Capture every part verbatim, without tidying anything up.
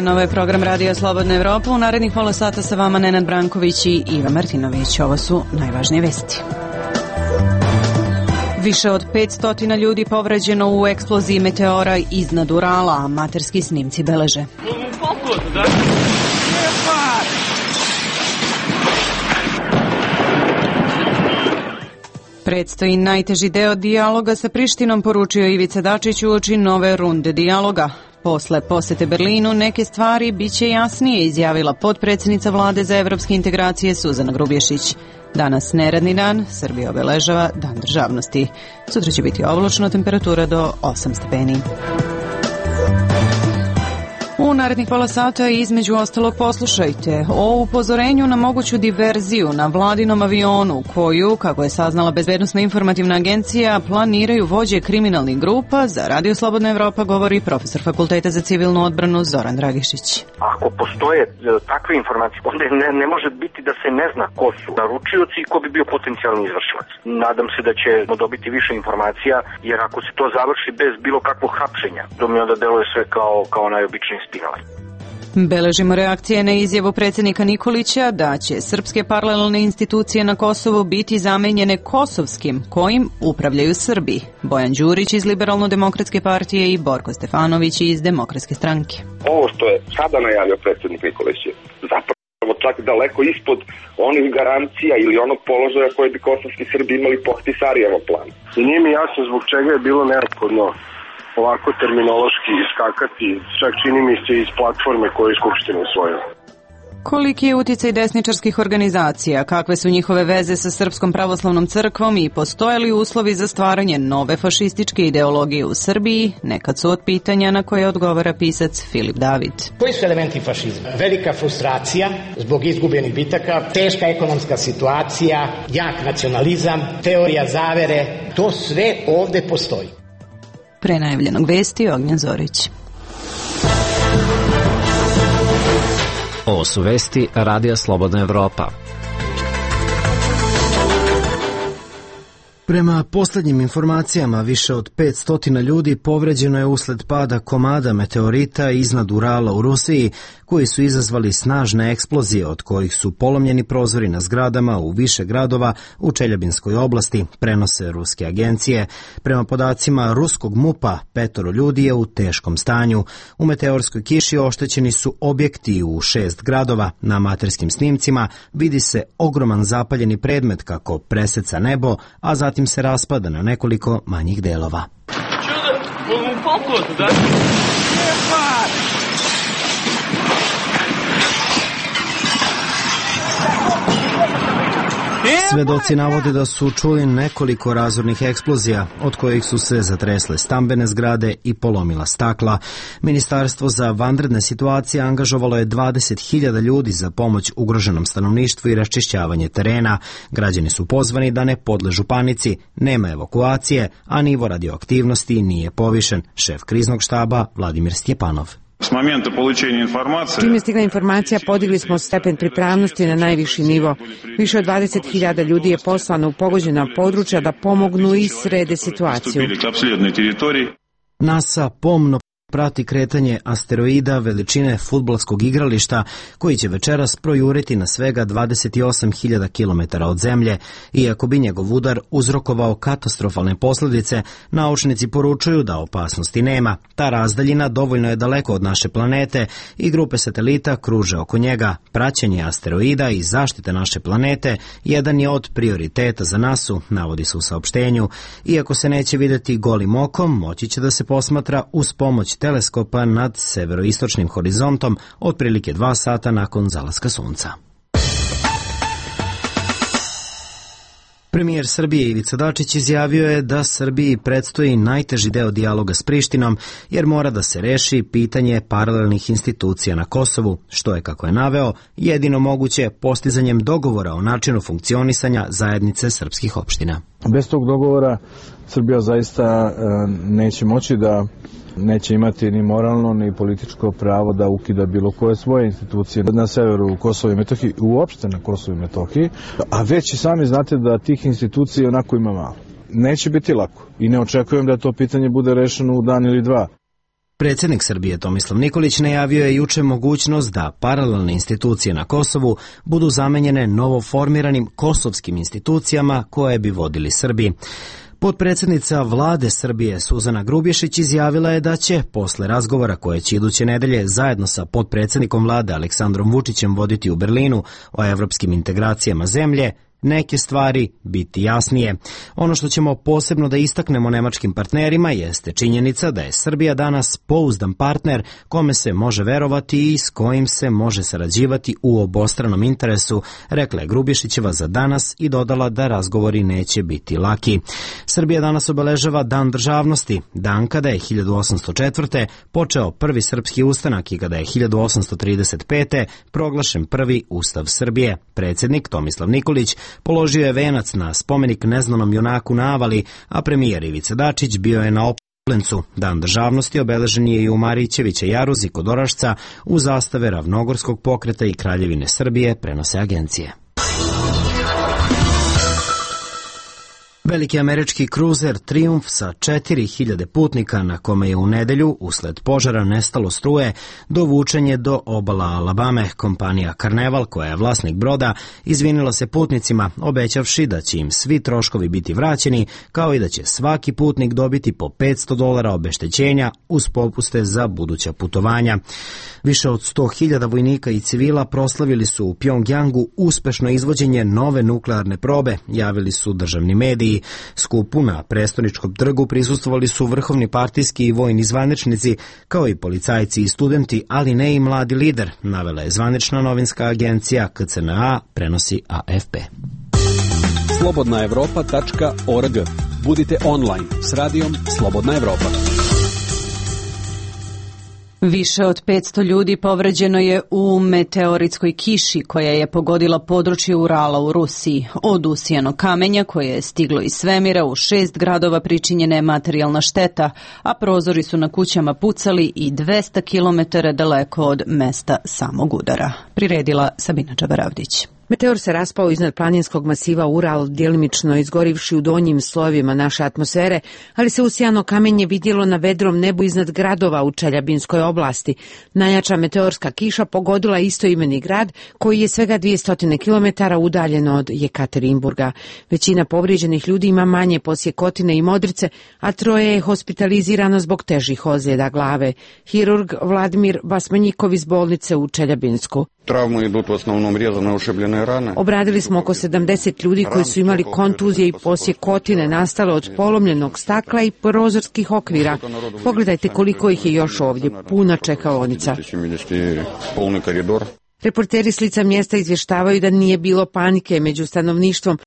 dan, ovo je program Radija Slobodna Evropa. U narednih pola sata sa vama Nenad Branković i Iva Martinović. Ovo su najvažnije vesti. Više od petsto ljudi povređeno u eksploziji meteora iznad Urala, a amaterski snimci beleže. Predstoji najteži deo dijaloga sa Prištinom, poručio Ivica Dačić uoči nove runde dijaloga. Posle posete Berlinu neke stvari biće jasnije, izjavila potpredsjednica vlade za evropske integracije Suzana Grubješić. Danas neradni dan, Srbija obeležava Dan državnosti. Sutra će biti oblačno, temperatura do osam stepeni. U narednih pola sata između ostalog poslušajte o upozorenju na moguću diverziju na vladinom avionu koju, kako je saznala Bezbednosna informativna agencija, planiraju vođe kriminalnih grupa. Za Radio Slobodna Evropa govori profesor Fakulteta za civilnu odbranu Zoran Dragišić. Ako postoje takve informacije, onda ne, ne može biti da se ne zna ko su naručioci i ko bi bio potencijalni izvršilac. Nadam se da ćemo dobiti više informacija, jer ako se to završi bez bilo kakvog hapšenja, to mi onda deluje sve kao, kao najobičniji spinal. Beležimo reakcije na izjavu predsjednika Nikolića da će srpske paralelne institucije na Kosovu biti zamenjene kosovskim, kojim upravljaju Srbi. Bojan Đurić iz Liberalno-demokratske partije i Borko Stefanović iz Demokratske stranke. Ovo što je sada najavio predsjednik Nikolić je zapravo čak daleko ispod onih garancija ili onog položaja koje bi kosovski Srbi imali po Ahtisarijevom planu. I nije mi jasno zbog čega je bilo neophodno ovako terminološki iskakati, čak čini mi se iz platforme koju je Skupština usvojila. Koliki je uticaj desničarskih organizacija, kakve su njihove veze sa Srpskom pravoslavnom crkvom i postoje li uslovi za stvaranje nove fašističke ideologije u Srbiji, nekad su od pitanja na koje odgovara pisac Filip David. Koji su elementi fašizma? Velika frustracija zbog izgubljenih bitaka, teška ekonomska situacija, jak nacionalizam, teorija zavere, to sve ovde postoji. Pre najavljenog vesti Ognjen Zorić. Ovo su vesti Radija Slobodna Evropa. Prema posljednjim informacijama, više od petsto ljudi povređeno je usled pada komada meteorita iznad Urala u Rusiji, koji su izazvali snažne eksplozije, od kojih su polomljeni prozori na zgradama u više gradova u Čeljabinskoj oblasti, prenose ruske agencije. Prema podacima ruskog MUP-a, petoro ljudi je u teškom stanju. U meteorskoj kiši oštećeni su objekti u šest gradova. Na amaterskim snimcima vidi se ogroman zapaljeni predmet kako preseca nebo, a zatim se raspada na nekoliko manjih delova. Svedoci navode da su čuli nekoliko razornih eksplozija, od kojih su se zatresle stambene zgrade i polomila stakla. Ministarstvo za vanredne situacije angažovalo je dvadeset hiljada ljudi za pomoć ugroženom stanovništvu i raščišćavanje terena. Građani su pozvani da ne podležu panici, nema evakuacije, a nivo radioaktivnosti nije povišen. Šef kriznog štaba Vladimir Stjepanov. S momenta получения informacije... Čim je stigla informacija, podigli smo stepen pripravnosti na najviši nivo. Više od dvadeset hiljada ljudi je poslano u pogođena područja da pomognu i srede situaciju. NASA pomno prati kretanje asteroida veličine fudbalskog igrališta koji će večeras projuriti na svega dvadeset osam hiljada kilometara od Zemlje. Iako bi njegov udar uzrokovao katastrofalne posljedice, naučnici poručuju da opasnosti nema. Ta razdaljina dovoljno je daleko od naše planete i grupe satelita kruže oko njega. Praćenje asteroida i zaštite naše planete jedan je od prioriteta za nasu, navodi se u saopštenju. Iako se neće vidjeti golim okom, moći će da se posmatra uz pomoć teleskopa nad severoistočnim horizontom otprilike dva sata nakon zalaska sunca. Premijer Srbije Ivica Dačić izjavio je da Srbiji predstoji najteži deo dijaloga s Prištinom, jer mora da se reši pitanje paralelnih institucija na Kosovu, što je, kako je naveo, jedino moguće postizanjem dogovora o načinu funkcionisanja zajednice srpskih opština. Bez tog dogovora Srbija zaista neće moći da neće imati ni moralno ni političko pravo da ukida bilo koje svoje institucije na severu Kosova i Metohije, uopšte na Kosovu i Metohiji, a već i sami znate da tih institucija onako ima malo. Neće biti lako i ne očekujem da to pitanje bude rešeno u dan ili dva. Predsjednik Srbije Tomislav Nikolić najavio je juče mogućnost da paralelne institucije na Kosovu budu zamenjene novoformiranim kosovskim institucijama koje bi vodili Srbi. Potpredsjednica vlade Srbije Suzana Grubješić izjavila je da će, posle razgovora koje će iduće nedelje zajedno sa potpredsjednikom vlade Aleksandrom Vučićem voditi u Berlinu o evropskim integracijama zemlje, neke stvari biti jasnije. Ono što ćemo posebno da istaknemo nemačkim partnerima jeste činjenica da je Srbija danas pouzdan partner kome se može verovati i s kojim se može sarađivati u obostranom interesu, rekla je Grubješićeva za danas i dodala da razgovori neće biti laki. Srbija danas obeležava Dan državnosti, dan kada je hiljadu osamsto četvrte. počeo prvi srpski ustanak i kada je hiljadu osamsto trideset pete. proglašen prvi Ustav Srbije. Predsjednik Tomislav Nikolić položio je venac na spomenik neznanom junaku na Avali, a premijer Ivica Dačić bio je na Oplencu. Dan državnosti obeležen je i u Marićevića jaruzi kod Orašca u zastave Ravnogorskog pokreta i Kraljevine Srbije, prenose agencije. Veliki američki kruzer Triumf sa četiri hiljade putnika na kome je u nedelju, usled požara, nestalo struje, dovučen je do obala Alabame. Kompanija Carnival, koja je vlasnik broda, izvinila se putnicima, obećavši da će im svi troškovi biti vraćeni, kao i da će svaki putnik dobiti po petsto dolara obeštećenja uz popuste za buduća putovanja. Više od sto hiljada vojnika i civila proslavili su u Pjongjangu uspešno izvođenje nove nuklearne probe, javili su državni mediji. Skupu na prestoničkom trgu prisustvovali su vrhovni partijski i vojni zvaničnici, kao i policajci i studenti, ali ne i mladi lider, navela je zvanična novinska agencija K C N A, prenosi A F P. slobodna evropa tačka org. Budite online s radijom Slobodna Evropa. Više od petsto ljudi povređeno je u meteoritskoj kiši koja je pogodila područje Urala u Rusiji. Od usijanog kamenja koje je stiglo iz svemira u šest gradova pričinjena je materijalna šteta, a prozori su na kućama pucali i dvesta kilometara daleko od mesta samog udara. Priredila Sabina Čabaravdić. Meteor se raspao iznad planinskog masiva Ural, djelimično izgorivši u donjim slojevima naše atmosfere, ali se usijano kamenje vidjelo na vedrom nebu iznad gradova u Čeljabinskoj oblasti. Najjača meteorska kiša pogodila istoimeni grad, koji je svega dvjesto kilometara udaljen od Jekaterinburga. Većina povrijeđenih ljudi ima manje posjekotine i modrice, a troje je hospitalizirano zbog težih ozljeda glave. Hirurg Vladimir Basmanjikov iz bolnice u Čeljabinsku. Travme idu u osnovnom rezane ušibljene rane. Obradili smo oko sedamdeset ljudi koji su imali kontuzije i posjekotine nastale od polomljenog stakla i prozorskih okvira. Pogledajte koliko ih je još ovdje, puna čekaonica. Reporteri s lica mjesta izvještavaju da nije bilo panike među stanovništvom,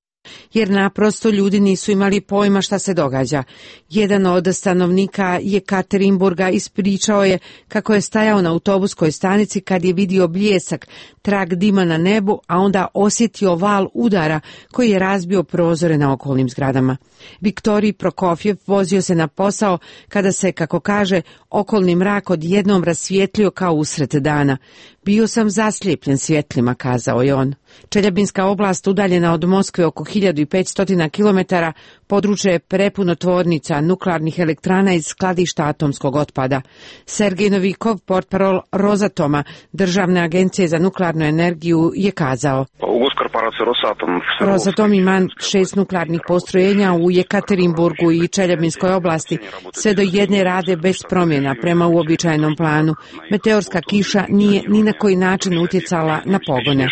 jer naprosto ljudi nisu imali pojma šta se događa. Jedan od stanovnika Jekaterinburga ispričao je kako je stajao na autobuskoj stanici kad je vidio bljesak, trag dima na nebu, a onda osjetio val udara koji je razbio prozore na okolnim zgradama. Viktorij Prokofjev vozio se na posao kada se, kako kaže, okolni mrak odjednom rasvijetlio kao usred dana. Bio sam zaslijepljen svjetlima, kazao je on. Čeljabinska oblast, udaljena od Moskve oko hiljadu petsto kilometara, područje je prepuno tvornica, nuklearnih elektrana i skladišta atomskog otpada. Sergej Novikov, portparol Rosatoma, državne agencije za nuklearnu energiju, je kazao: Rosatom ima šest nuklearnih postrojenja u Jekaterinburgu i Čeljabinskoj oblasti. Sve do jedne rade bez promjena prema uobičajenom planu. Meteorska kiša nije ni na koji način utjecala na pogone.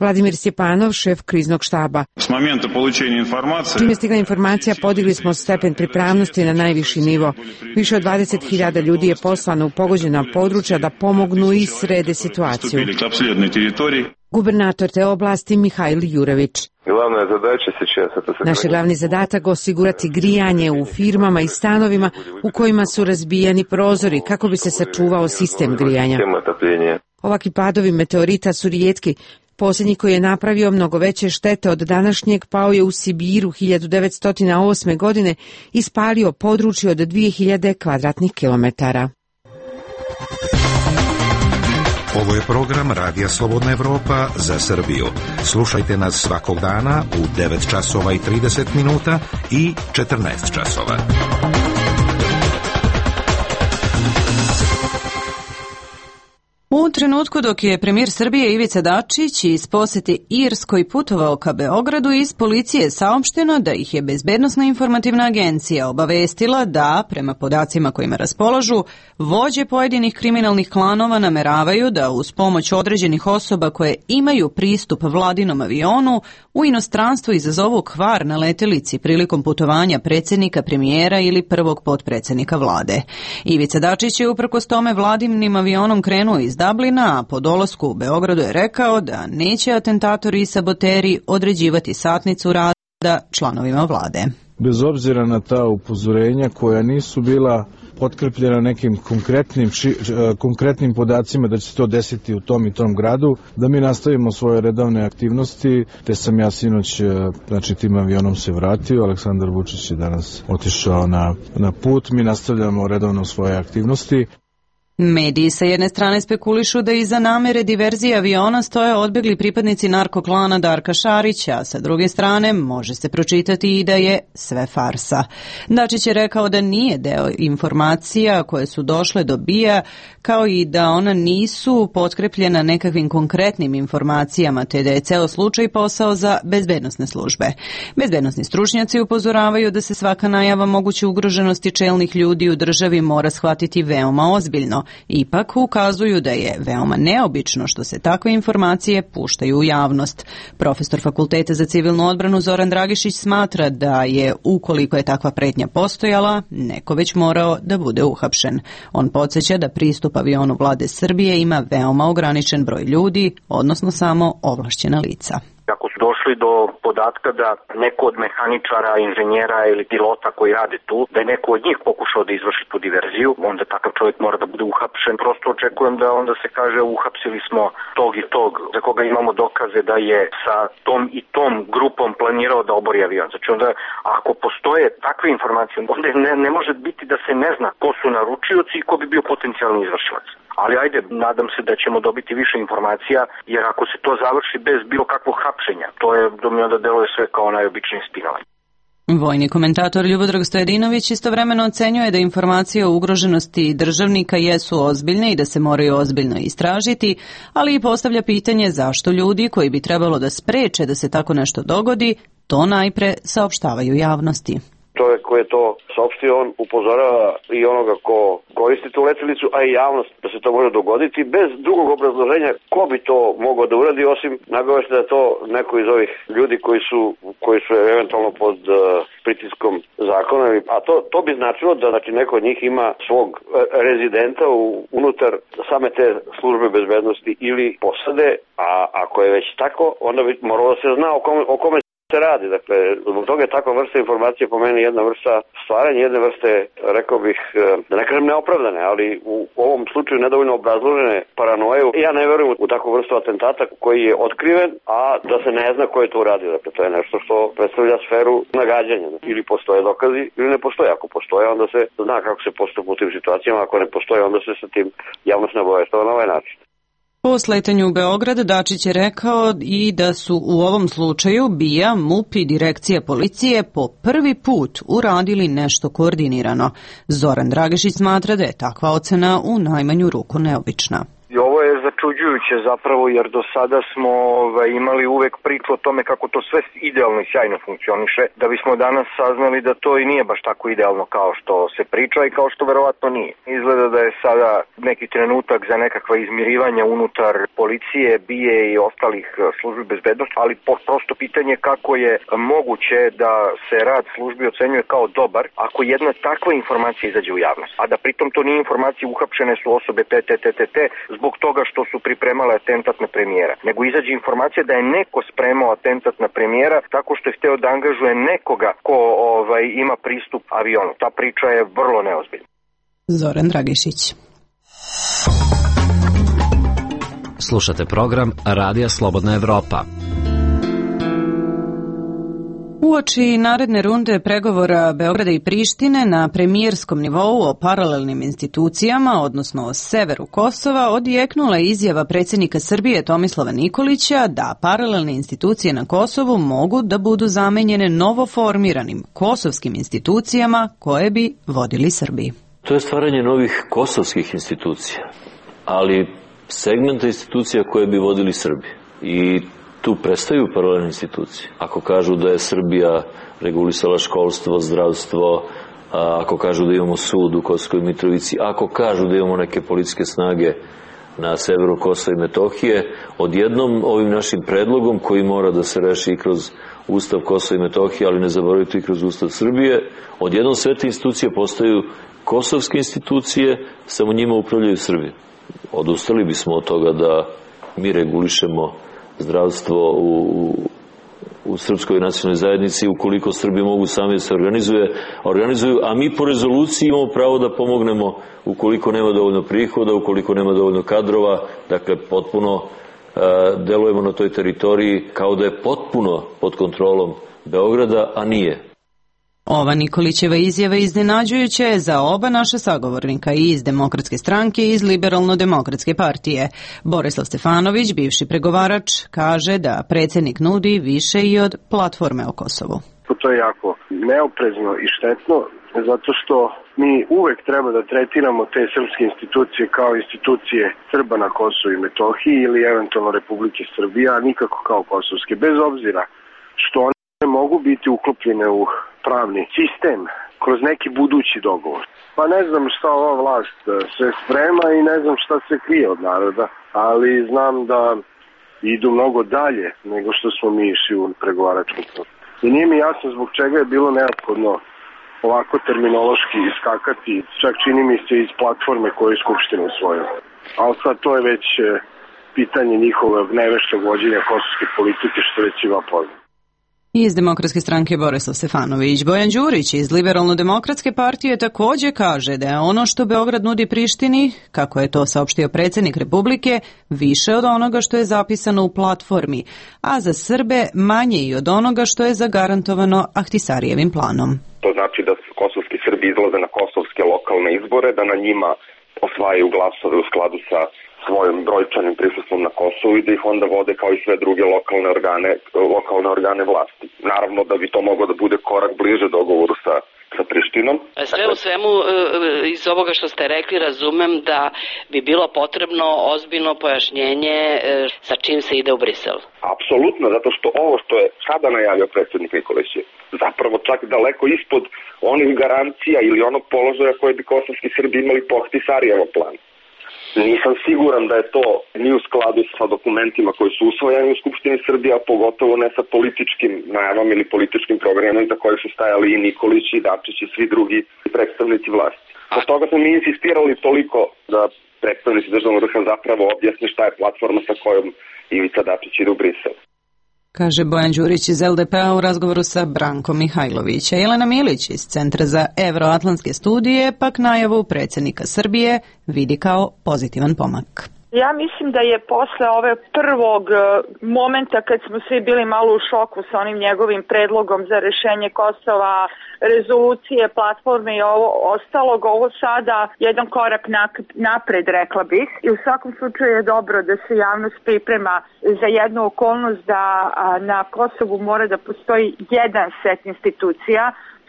Vladimir Stjepanov, šef kriznog štaba. S momenta polučenja informacije... Čim je stigla informacija, podigli smo stepen pripravnosti na najviši nivo. Više od dvadeset hiljada ljudi je poslano u pogođena područja da pomognu i srede situaciju. Gubernator te oblasti Mihajl Jurević. Naš je glavni zadatak osigurati grijanje u firmama i stanovima u kojima su razbijani prozori kako bi se sačuvao sistem grijanja. Ovakvi padovi meteorita su rijetki. Posljednji koji je napravio mnogo veće štete od današnjeg pao je u Sibiru hiljadu devetsto osme. godine i spalio područje od dvije hiljade kvadratnih kilometara. Ovo je program Radija Slobodna Evropa za Srbiju. Slušajte nas svakog dana u devet časova i trideset minuta i četrnaest časova. U trenutku dok je premijer Srbije Ivica Dačić iz posete Irskoj putovao ka Beogradu, iz policije saopšteno da ih je Bezbednosna informativna agencija obavestila da, prema podacima kojima raspolažu, vođe pojedinih kriminalnih klanova nameravaju da uz pomoć određenih osoba koje imaju pristup vladinom avionu u inostranstvu izazovu kvar na letelici prilikom putovanja predsjednika, premijera ili prvog potpredsjednika vlade. Ivica Dačić je uprkos tome vladinim avionom krenuo iz Dublina, a po dolasku u Beogradu je rekao da neće atentatori i saboteri određivati satnicu rada članovima vlade. Bez obzira na ta upozorenja koja nisu bila potkrepljena nekim konkretnim, ši, konkretnim podacima da će se to desiti u tom i tom gradu, da mi nastavimo svoje redovne aktivnosti, te sam ja sinoć, znači tim avionom se vratio, Aleksandar Vučić je danas otišao na, na put, mi nastavljamo redovno svoje aktivnosti. Mediji sa jedne strane spekulišu da iza namere diverzije aviona stoje odbegli pripadnici narkoklana Darka Šarića, a sa druge strane može se pročitati i da je sve farsa. Dačić je rekao da nije deo informacija koje su došle do B I A, kao i da ona nisu potkrepljena nekakvim konkretnim informacijama, te da je ceo slučaj posao za bezbednosne službe. Bezbednosni stručnjaci upozoravaju da se svaka najava moguće ugroženosti čelnih ljudi u državi mora shvatiti veoma ozbiljno. Ipak ukazuju da je veoma neobično što se takve informacije puštaju u javnost. Profesor Fakulteta za civilnu odbranu Zoran Dragišić smatra da je, ukoliko je takva pretnja postojala, neko već morao da bude uhapšen. On podsjeća da pristup avionu vlade Srbije ima veoma ograničen broj ljudi, odnosno samo ovlašćena lica. Ako su došli do podatka da neko od mehaničara, inženjera ili pilota koji rade tu, da je neko od njih pokušao da izvrši tu diverziju, onda takav čovjek mora da bude uhapšen. Prosto očekujem da onda se kaže uhapsili smo tog i tog, za koga imamo dokaze da je sa tom i tom grupom planirao da obori avion. Znači onda, ako postoje takve informacije, onda ne, ne može biti da se ne zna ko su naručioci i ko bi bio potencijalni izvršilac. Ali ajde, nadam se da ćemo dobiti više informacija, jer ako se to završi bez bilo kakvog hapšenja, to je, do mi onda deluje sve kao najobičnije spinovanje. Vojni komentator Ljubodrag Stojadinović istovremeno ocenjuje da informacije o ugroženosti državnika jesu ozbiljne i da se moraju ozbiljno istražiti, ali i postavlja pitanje zašto ljudi koji bi trebalo da spreče da se tako nešto dogodi, to najpre saopštavaju javnosti. Čovjek koji je to saopštio, on upozorava i onoga ko koristi tu letelicu, a i javnost da se to može dogoditi bez drugog obrazloženja ko bi to mogao da uradi, osim nagovešta da je to neko iz ovih ljudi koji su, koji su eventualno pod uh, pritiskom zakona. A to, to bi značilo da znači, neko od njih ima svog rezidenta u, unutar same te službe bezbednosti ili posade, a ako je već tako, onda bi moralo da se zna o kome, o kome se radi. Dakle, zbog toga je takva vrsta informacije po meni jedna vrsta stvaranja, jedne vrste, rekao bih, da ne kažem neopravdane, ali u ovom slučaju nedovoljno obrazložene paranoje. Ja ne verujem u takvu vrstu atentata koji je otkriven, a da se ne zna ko je to uradio. Dakle, to je nešto što predstavlja sferu nagađanja. Ili postoje dokazi, ili ne postoje. Ako postoje, onda se zna kako se postupa u tim situacijama. Ako ne postoje, onda se sa tim javnost ne obaveštava na ovaj način. Po sletanju u Beograd, Dačić je rekao i da su u ovom slučaju B I A, M U P i Direkcija policije po prvi put uradili nešto koordinirano. Zoran Dragišić smatra da je takva ocena u najmanju ruku neobična. I ovo je začuđujuće zapravo, jer do sada smo ovaj, imali uvek priču o tome kako to sve idealno i sjajno funkcioniše, da bismo danas saznali da to i nije baš tako idealno kao što se priča i kao što verovatno nije. Izgleda da je sada neki trenutak za nekakva izmirivanja unutar policije, B I A i ostalih službi bezbednosti, ali prosto pitanje kako je moguće da se rad službi ocenjuje kao dobar ako jedna takva informacija izađe u javnost, a da pritom to nije informacija, uhapšene su osobe P T T T T zbog toga što su pripremale atentat na premijera, nego izađe informacija da je neko spremao atentat na premijera tako što je hteo da angažuje nekoga ko ovaj, ima pristup avionu. Ta priča je vrlo neozbiljna. Zoran Dragišić. Slušate program Radija Slobodna Evropa. Uoči naredne runde pregovora Beograda i Prištine na premijerskom nivou o paralelnim institucijama, odnosno o severu Kosova, odjeknula je izjava predsjednika Srbije Tomislava Nikolića da paralelne institucije na Kosovu mogu da budu zamenjene novoformiranim kosovskim institucijama koje bi vodili Srbiji. To je stvaranje novih kosovskih institucija, ali segmenta institucija koje bi vodili Srbi. I tu prestaju paralelne institucije. Ako kažu da je Srbija regulisala školstvo, zdravstvo, ako kažu da imamo sud u Kosovskoj Mitrovici, ako kažu da imamo neke policijske snage na severu Kosova i Metohije, odjednom ovim našim predlogom koji mora da se reši i kroz Ustav Kosova i Metohije, ali ne zaboravite i kroz Ustav Srbije, odjednom sve te institucije postaju kosovske institucije, samo njima upravljaju Srbije. Odustali bismo od toga da mi regulišemo zdravstvo u, u srpskoj nacionalnoj zajednici ukoliko Srbi mogu sami da se organizuje, organizuju, a mi po rezoluciji imamo pravo da pomognemo ukoliko nema dovoljno prihoda, ukoliko nema dovoljno kadrova, dakle potpuno uh, delujemo na toj teritoriji kao da je potpuno pod kontrolom Beograda, a nije. Ova Nikolićeva izjava iznenađujuća je za oba naša sagovornika i iz Demokratske stranke i iz Liberalno-demokratske partije. Borislav Stefanović, bivši pregovarač, kaže da predsjednik nudi više i od platforme o Kosovu. To je jako neoprezno i štetno, zato što mi uvek treba da tretiramo te srpske institucije kao institucije Srba na Kosovu i Metohiji ili eventualno Republike Srbije, a nikako kao kosovske, bez obzira što one mogu biti uklopljene u pravni sistem kroz neki budući dogovor. Pa ne znam šta ova vlast sve sprema i ne znam šta se krije od naroda, ali znam da idu mnogo dalje nego što smo mi išli u pregovaračkom procesu. I nije mi jasno zbog čega je bilo neophodno ovako terminološki iskakati, čak čini mi se iz platforme koju je Skupština usvojila. Ali sad to je već pitanje njihovog neveštog vođenja kosovske politike, što već ima poznat. Iz Demokratske stranke Borislav Stefanović. Bojan Đurić iz Liberalno-demokratske partije također kaže da je ono što Beograd nudi Prištini, kako je to saopštio predsjednik Republike, više od onoga što je zapisano u platformi, a za Srbe manje i od onoga što je zagarantovano Ahtisarijevim planom. To znači da kosovski Srbi izlaze na kosovske lokalne izbore, da na njima osvajaju glasove u skladu sa svojim brojčanim prisustvom na Kosovu i da ih onda vode kao i sve druge lokalne organe, lokalne organe vlasti. Naravno da bi to moglo da bude korak bliže dogovoru sa, sa Prištinom. Sve u svemu iz ovoga što ste rekli razumem da bi bilo potrebno ozbiljno pojašnjenje sa čim se ide u Brisel. Apsolutno, zato što ovo što je sada najavio predsjednik Nikolić je zapravo čak daleko ispod onih garancija ili onog položaja koje bi kosovski Srbi imali po Ahtisarijevom planu. Nisam siguran da je to ni u skladu sa dokumentima koji su usvojeni u Skupštini Srbije, a pogotovo ne sa političkim najavama ili političkim programima za koje su stajali i Nikolić i Dačić i svi drugi predstavnici vlasti. Od toga smo mi insistirali toliko da predstavnici državnog vrha zapravo objasne šta je platforma sa kojom Ivica Dačić ide u Brisel. Kaže Bojan Đurić iz el de pe-a u razgovoru sa Brankom Mihajlovića. Jelena Milić iz Centra za evroatlantske studije pak najavu predsjednika Srbije vidi kao pozitivan pomak. Ja mislim da je posle ove prvog momenta kad smo svi bili malo u šoku sa onim njegovim predlogom za rešenje Kosova, rezolucije, platforme i ovo ostalog, ovo sada jedan korak napred, rekla bih. I u svakom slučaju je dobro da se javnost priprema za jednu okolnost da na Kosovu mora da postoji jedan set institucija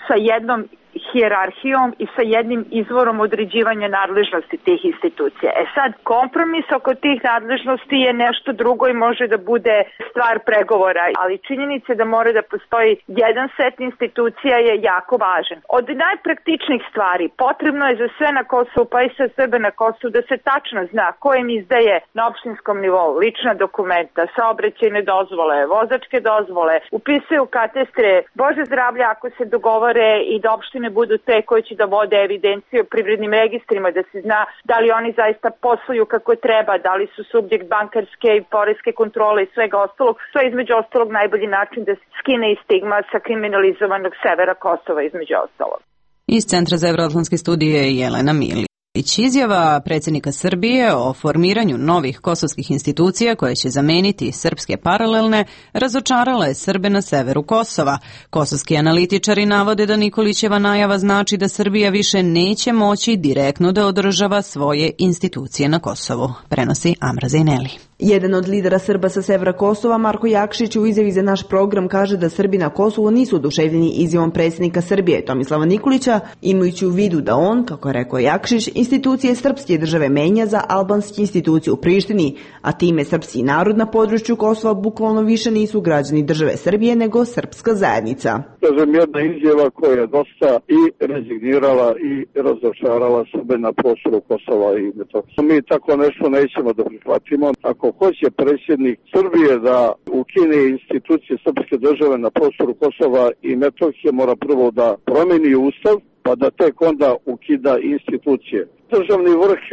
sa jednom hijerarhijom i sa jednim izvorom određivanja nadležnosti tih institucija. E sad, kompromis oko tih nadležnosti je nešto drugo i može da bude stvar pregovora, ali činjenica da mora da postoji jedan set institucija je jako važan. Od najpraktičnijih stvari potrebno je za sve na Kosovu, pa i sa Srbe na Kosovu, da se tačno zna ko im izdaje na opštinskom nivou lična dokumenta, saobraćajne dozvole, vozačke dozvole, upisuju katastre, Bože zdravlja ako se dogovore i da opštine budu te koji će da vode evidenciju o privrednim registrima, da se zna da li oni zaista posluju kako treba, da li su subjekt bankarske i poreske kontrole i svega ostalog. To je između ostalog najbolji način da se skine i stigma sa kriminalizovanog severa Kosova između ostalog. Iz Centra za evroatlantske studije Jelena Milić. Izjava predsjednika Srbije o formiranju novih kosovskih institucija koje će zameniti srpske paralelne razočarala je Srbe na severu Kosova. Kosovski analitičari navode da Nikolićeva najava znači da Srbija više neće moći direktno da održava svoje institucije na Kosovu, prenosi Amra Zejneli. Jedan od lidera Srba sa severa Kosova, Marko Jakšić, u izjavi za naš program kaže da Srbi na Kosovu nisu oduševljeni izjavom predsjednika Srbije Tomislava Nikolića, imajući u vidu da on, kako je rekao Jakšić, institucije srpske države menja za albanske institucije u Prištini, a time srpski narod na području Kosova bukvalno više nisu građani države Srbije nego srpska zajednica. Kažem, jedna izjava koja je dosta i rezignirala i razočarala Srbe na prostoru Kosova i Metohije. Mi tako nešto nećemo da prihvatimo. Ako hoće predsjednik Srbije da ukine institucije srpske države na prostoru Kosova i Metohije, mora prvo da promeni ustav, pa da tek onda ukida institucije. Državni vrh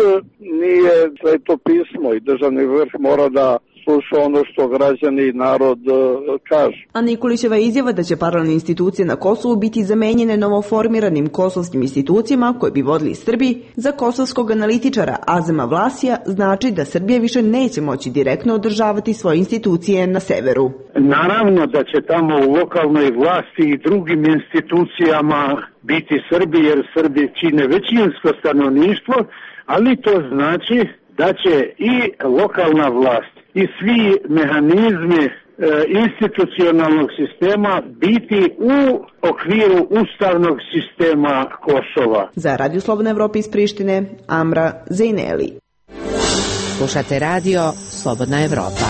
nije sveto pismo i državni vrh mora da sluša ono što građani i narod kažu. A Nikolićeva izjava da će paralelne institucije na Kosovu biti zamenjene novoformiranim kosovskim institucijama koje bi vodili Srbi, za kosovskog analitičara Azema Vlasija znači da Srbija više neće moći direktno održavati svoje institucije na severu. Naravno da će tamo u lokalnoj vlasti i drugim institucijama biti Srbi, jer Srbi čine većinsko stanovništvo, ali to znači da će i lokalna vlast i svi mehanizmi e, institucionalnog sistema biti u okviru ustavnog sistema Kosova. Za Radio Slobodna Evropa iz Prištine, Amra Zejneli. Slušate radio Slobodna Evropa.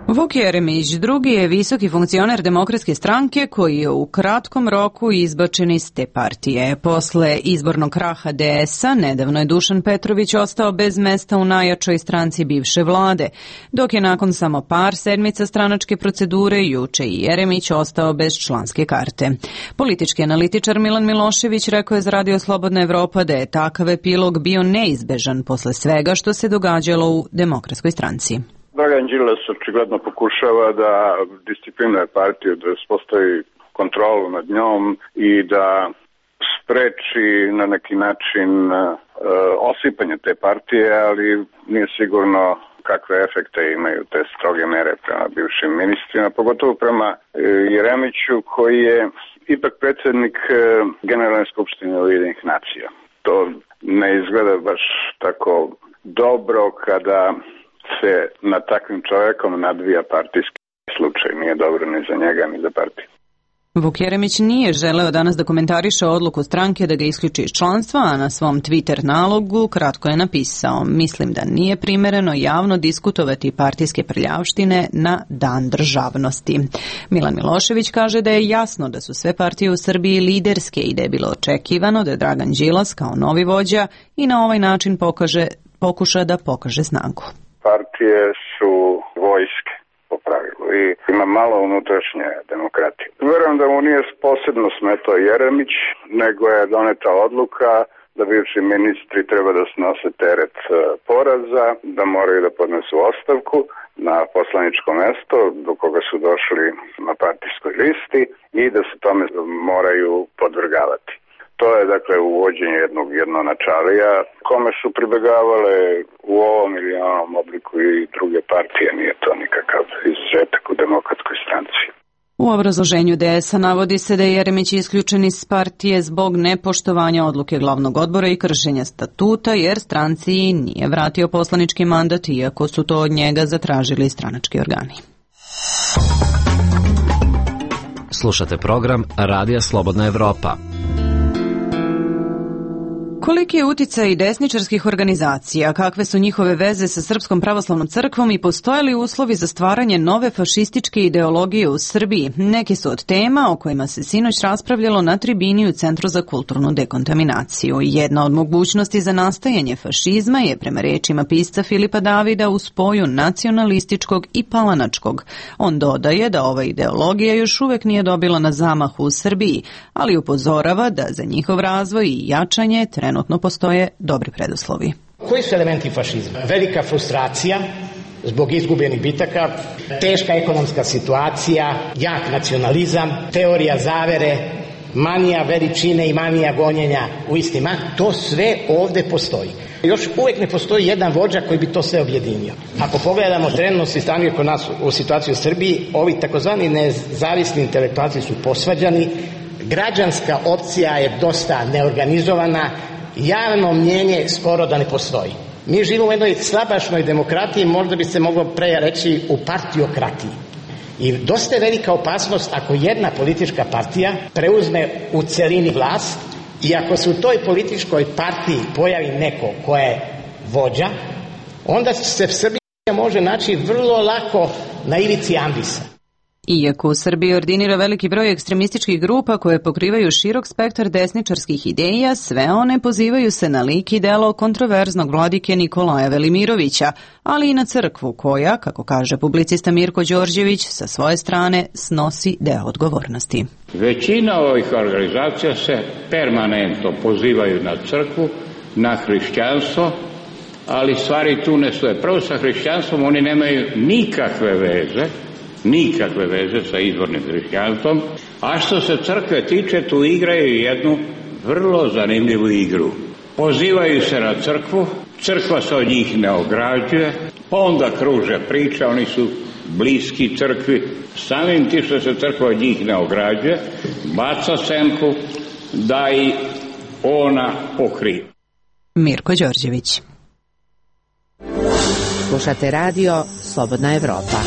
Vuk Jeremić drugi je visoki funkcioner Demokratske stranke koji je u kratkom roku izbačen iz te partije. Posle izbornog kraha D S-a nedavno je Dušan Petrović ostao bez mesta u najjačoj stranci bivše vlade, dok je nakon samo par sedmica stranačke procedure juče i Jeremić ostao bez članske karte. Politički analitičar Milan Milošević rekao je za Radio Slobodna Evropa da je takav epilog bio neizbežan posle svega što se događalo u Demokratskoj stranci. Dragan Đilas očigledno pokušava da disciplinuje partiju, da uspostavi kontrolu nad njom i da spreči na neki način uh, osipanje te partije, ali nije sigurno kakve efekte imaju te stroge mere prema bivšim ministrima, pogotovo prema uh, Jeremiću koji je ipak predsjednik uh, Generalne skupštine Ujedinjenih nacija. To ne izgleda baš tako dobro kada se na takvim čovjekom nadvija partijski slučaj. Nije dobro ni za njega, ni za partiju. Vuk Jeremić nije želeo danas da komentariše odluku stranke da ga isključi iz članstva, a na svom Twitter nalogu kratko je napisao: mislim da nije primereno javno diskutovati partijske prljavštine na dan državnosti. Milan Milošević kaže da je jasno da su sve partije u Srbiji liderske i da je bilo očekivano da Dragan Đilas kao novi vođa i na ovaj način pokaže, pokuša da pokaže snagu. Partije su vojske po pravilu i ima malo unutrašnje demokratije. Verujem da mu nije posebno smetao Jeremić, nego je doneta odluka da bivši ministri treba da snose teret poraza, da moraju da podnesu ostavku na poslaničko mesto do koga su došli na partijskoj listi i da se tome moraju podvrgavati. To je dakle uvođenje jednog jednonačalija kome su pribegavale u ovom ili onom obliku i druge partije, nije to nikakav izuzetak u Demokratskoj stranci. U obrazloženju D S-a navodi se da je Jeremić isključen iz partije zbog nepoštovanja odluke glavnog odbora i kršenja statuta, jer stranci nije vratio poslanički mandat, iako su to od njega zatražili stranački organi. Slušate program Radija Slobodna Evropa. Koliki je uticaj desničarskih organizacija, kakve su njihove veze sa Srpskom pravoslavnom crkvom i postoje li uslovi za stvaranje nove fašističke ideologije u Srbiji? Neki su od tema o kojima se sinoć raspravljalo na tribini u Centru za kulturnu dekontaminaciju. Jedna od mogućnosti za nastajanje fašizma je, prema rečima pisca Filipa Davida, u spoju nacionalističkog i palanačkog. On dodaje da ova ideologija još uvek nije dobila na zamahu u Srbiji, ali upozorava da za njihov razvoj i jačanje trenutno postoje dobri preduslovi. Koji su elementi fašizma? Velika frustracija zbog izgubljenih bitaka, teška ekonomska situacija, jak nacionalizam, teorija zavere, manija veličine i manija gonjenja u istima. To sve ovde postoji. Još uvek ne postoji jedan vođa koji bi to sve objedinio. Ako pogledamo trenutno stanje kod nas u situaciji u Srbiji, ovi takozvani nezavisni intelektualci su posvađani, građanska opcija je dosta neorganizovana, javno mnjenje skoro da ne postoji. Mi živimo u jednoj slabašnoj demokratiji, možda bi se moglo pre reći u partiokratiji. I dosta je velika opasnost ako jedna politička partija preuzme u celini vlast i ako se u toj političkoj partiji pojavi neko ko je vođa, onda se Srbija može naći vrlo lako na ivici ambisa. Iako u Srbiji ordinira veliki broj ekstremističkih grupa koje pokrivaju širok spektar desničarskih ideja, sve one pozivaju se na lik i delo kontroverznog vladike Nikolaja Velimirovića, ali i na crkvu koja, kako kaže publicista Mirko Đorđević, sa svoje strane snosi deo odgovornosti. Većina ovih organizacija se permanentno pozivaju na crkvu, na hrišćanstvo, ali stvari tu ne stoje. Prvo sa hrišćanstvom oni nemaju nikakve veze, nikakve veze sa izvornim hrišćanstvom, a što se crkve tiče, tu igraju jednu vrlo zanimljivu igru. Pozivaju se na crkvu, crkva se od njih ne ograđuje, pa onda kruže priča, oni su bliski crkvi, samim tim što se crkva od njih ne ograđuje, baca senku da i ona pokrije. Mirko Đorđević. Slušate radio Slobodna Evropa.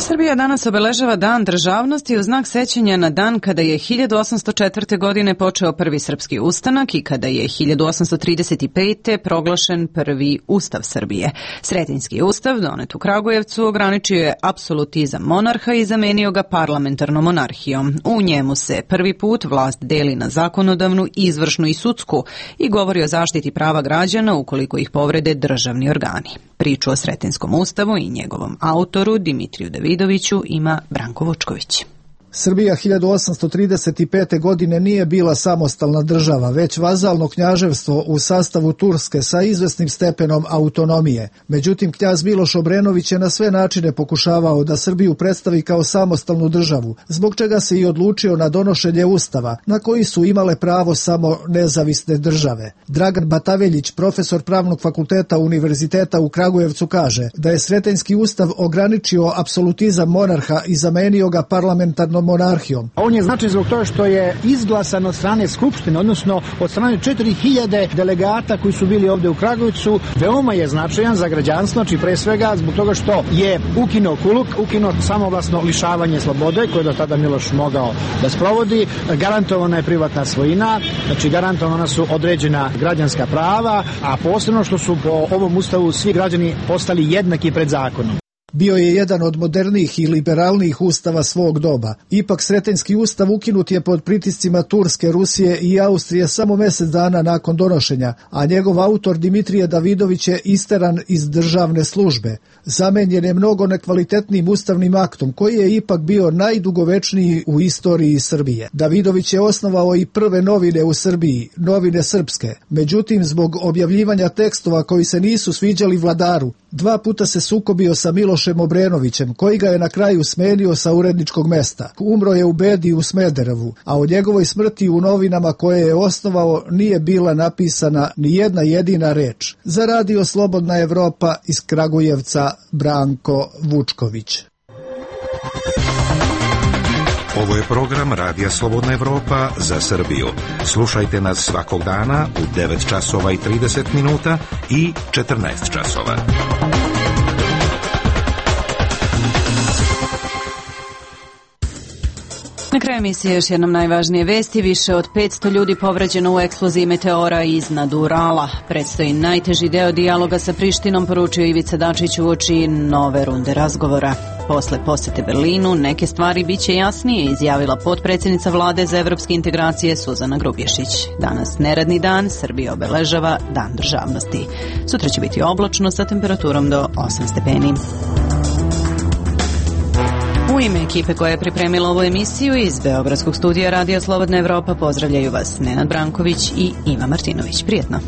Srbija danas obeležava Dan državnosti u znak sećanja na dan kada je hiljadu osamsto četvrte. godine počeo prvi srpski ustanak i kada je hiljadu osamsto trideset pete. proglašen prvi Ustav Srbije. Sretenjski ustav, donet u Kragujevcu, ograničio je apsolutizam monarha i zamenio ga parlamentarnom monarhijom. U njemu se prvi put vlast deli na zakonodavnu, izvršnu i sudsku i govori o zaštiti prava građana ukoliko ih povrede državni organi. Priču o Sretenskom ustavu i njegovom autoru Dimitriju Davidoviću ima Branko Vučković. Srbija hiljadu osamsto trideset pete. godine nije bila samostalna država, već vazalno knjaževstvo u sastavu Turske sa izvesnim stepenom autonomije. Međutim, knjaz Miloš Obrenović je na sve načine pokušavao da Srbiju predstavi kao samostalnu državu, zbog čega se i odlučio na donošenje ustava, na koji su imale pravo samo nezavisne države. Dragan Bataveljić, profesor Pravnog fakulteta Univerziteta u Kragujevcu, kaže da je Sretenjski ustav ograničio apsolutizam monarha i zamenio ga parlamentarnom monarhijom. On je značajan zbog toga što je izglasan od strane Skupštine, odnosno od strane četiri hiljade delegata koji su bili ovde u Kragujevcu. Veoma je značajan za građanstvo, znači pre svega zbog toga što je ukinuo kuluk, ukinuo samovlasno lišavanje slobode, koje do tada Miloš mogao da sprovodi, garantovana je privatna svojina, znači garantovana su određena građanska prava, a posebno što su po ovom ustavu svi građani postali jednaki pred zakonom. Bio je jedan od modernijih i liberalnijih ustava svog doba. Ipak Sretenjski ustav ukinut je pod pritiscima Turske, Rusije i Austrije samo mjesec dana nakon donošenja, a njegov autor Dimitrije Davidović je isteran iz državne službe. Zamenjen je mnogo nekvalitetnim ustavnim aktom koji je ipak bio najdugovečniji u istoriji Srbije. Davidović je osnovao i prve novine u Srbiji, Novine srpske. Međutim, zbog objavljivanja tekstova koji se nisu sviđali vladaru, dva puta se sukobio sa Milošem Obrenovićem, koji ga je na kraju smenio sa uredničkog mesta. Umro je u bedi u Smederevu, a o njegovoj smrti u novinama koje je osnovao nije bila napisana ni jedna jedina reč. Za radio Slobodna Evropa iz Kragujevca, Branko Vučković. Ovo je program Radija Slobodna Evropa za Srbiju. Slušajte nas svakog dana u devet časova i trideset minuta i četrnaest časova. Na kraju emisije još jednom najvažnije vesti. Više od petsto ljudi povređeno u eksploziji meteora iznad Urala. Predstoji najteži deo dijaloga sa Prištinom, poručio Ivica Dačić uoči nove runde razgovora. Posle posete Berlinu neke stvari biće jasnije, izjavila potpredsjednica vlade za evropske integracije Suzana Grubješić. Danas neradni dan, Srbija obeležava Dan državnosti. Sutra će biti oblačno sa temperaturom do osam stepeni. U ime ekipe koja je pripremila ovu emisiju iz Beogradskog studija Radija Slobodna Evropa pozdravljaju vas Nenad Branković i Iva Martinović. Prijetno!